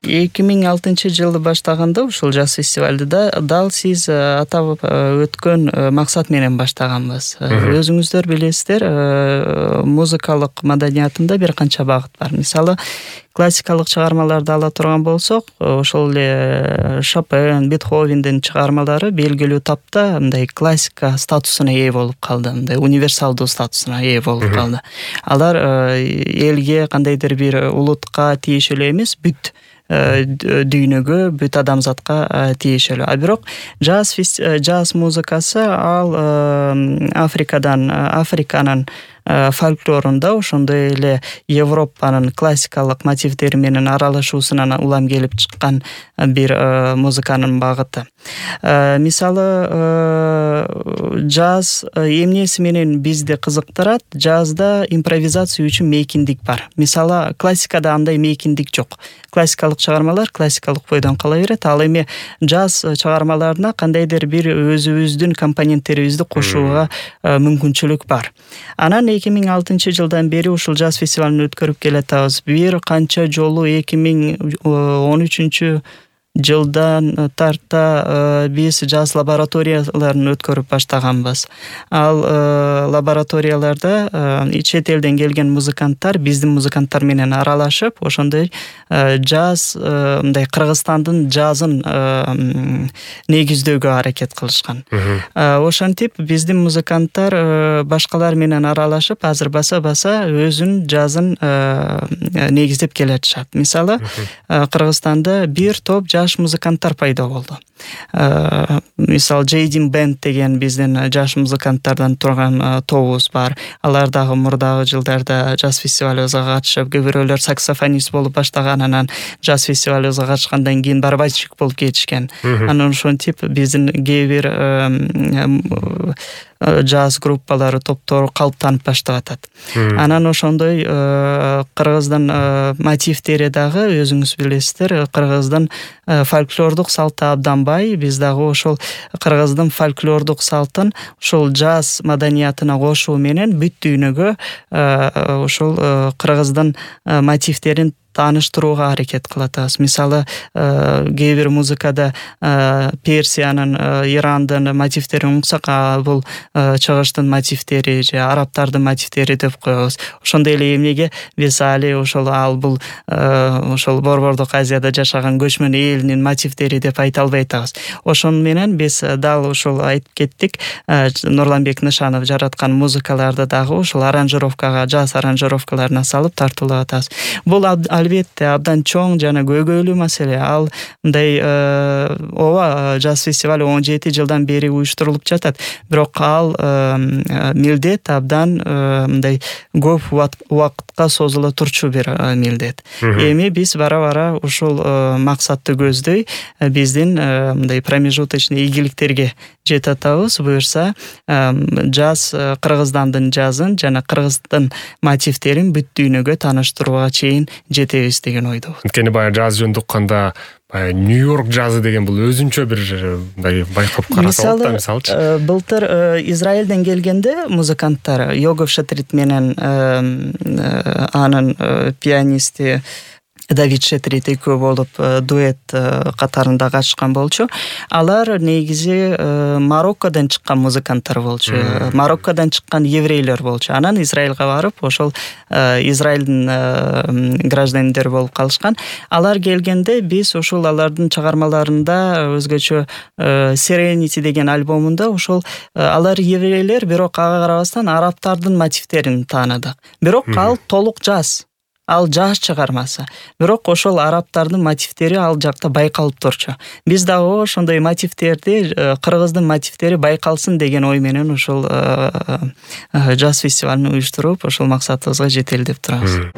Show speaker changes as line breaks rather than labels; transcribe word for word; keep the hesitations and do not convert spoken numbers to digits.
эки миң алтынчы жылы баштаганда ушул жаз фестивалды да дал сиз атап өткөн максат менен баштаганбыз. Өзүңүздөр билесиздер, музыкалык маданиятында бир канча багыт бар. Мисалы, классикалык чыгармаларды ала турган болсок, ошол эле Шопен, Бетховендин чыгармалары белгилүү тапта мындай классика статусуна ээ болуп калды, мындай универсалдуу статусуна ээ болуп калды. Алар элге, кандайдыр бир улутка тиешелүү эмес, бүт дүйнөгө, бүт адамзатка тиешелүү. А бирок жаз жаз музыкасы ал Африкадан, Африканын фольклорунда ошондой эле Европанын классикалык мотивдери менен аралашуусунан улам келип чыккан бир музыканын багыты. Мисалы, жаз эмнеси менен бизди кызыктырат? Жазда импровизация үчүн мейкиндик бар. Мисалы, классикада андай мейкиндик жок. Классикалык чыгармалар классикалык бойдон кала берет. Ал эми жаз чыгармаларына кандайдыр бир өзүбүздүн компоненттерибизди кошууга мүмкүнчүлүк бар. Анан эки миң алтынчы жылдан бери ушул жаз фестивалын өткөрүп келатабыз. Бир канча жолу эки миң он үчүнчү жылдан тарта биз жаз лабораторияларын өткөрүп баштаганбыз. Ал лабораторияларда чет элден келген музыканттар биздин музыканттар менен аралашып, ошондой жаз, мындай Кыргызстандын жазын негиздөөгө аракет кылышкан. Ошентип биздин музыканттар башкалар менен аралашып, азыр баса-баса өзүнүн жазын негиздеп келатышат. Мисалы, Кыргызстанда бир топ жаш музыканттар пайда болду. Мисалы, Джейдин Бенд деген биздин жаш музыканттардан турган тобубуз бар. Алар дагы мурдагы жылдарда жаз фестивалыбызга катышып, кээ бирөөлөр саксофонист болуп баштаган, анан жаз фестивалыбызга катышкандан кийин барабанщик болуп кетишкен. Анан ошентип биздин кээ бир жаз группалары, топтору калыптанып баштап атат. Анан ошондой Кыргыздын мотивдери дагы өзүңүз билесиздер, Кыргыздын фольклордук салты абдан бай. Биз дагы ошол Кыргыздын фольклордук салтын ошол жаз маданиятына кошуу менен бүт дүйнөгө ошол Кыргыздын мотивдерин тааныштырууга аракет кылатабыз. Мисалы, кээ бир музыкада Персиянын, Ирандын мотивдерин угсак, бул чыгыштын мотивдери же арабтардын мотивдери деп коебуз. Ошондой эле эмнеге биз али ошол ал бул ошол Борбордук Азияда жашаган көчмөн элинин мотивдери деп айта албай атабыз. Ошону менен биз дал ошол айтып кеттик, Нурланбек Нышанов жараткан музыкаларды дагы ошол аранжировкага, жаз аранжировкаларына салып тартуулап атабыз. Бул албетте абдан чоң жана көйгөйлүү маселе. Ал мындай ооба, жаз фестивалы он жети жылдан бери уюштурулуп жатат. Бирок ал милдет абдан мындай көп убакытка созула турчу бир милдет. Эми биз бара-бара ушул максатты көздөй биздин мындай промежуточный ийгиликтерге жете атабыз. Буюрса, жаз Кыргыздандын жазын жана Кыргыздын мотивдерин бүт дүйнөгө тааныштырууга чейин жетебиз деген ойдо.
Анткени баягы жаз жөнүндө укканда Нью-Йорк жазы деген бул өзүнчө бир мындай байкап караса болот да, мисалчы.
Былтыр Израилден келгенде музыканттар Йогов Шетрит менен анын пианисти Давид Шетрит экөө болуп дуэт катарында катышкан болчу. Алар негизи Мароккодон чыккан музыканттар болчу. Мароккодон чыккан еврейлер болчу. Анан Израилга барып, ошол Израилдин граждандары болуп калышкан. Алар келгенде биз ошол алардын чыгармаларында өзгөчө Serenity деген альбомунда ошол алар еврейлер, бирок ага карабастан арабтардын мотивдерин тааныдык. Бирок ал толук жаз. Ал жаш чыгармасы. Бирок ошол арабтардын мотивдери ал жакта байкалып турчу. Биз дагы ошондой мотивдерди, Кыргыздын мотивдери байкалсын деген ой менен ошол жаз фестивалын уюштуруп, ошол максатыбызга жетели деп турабыз.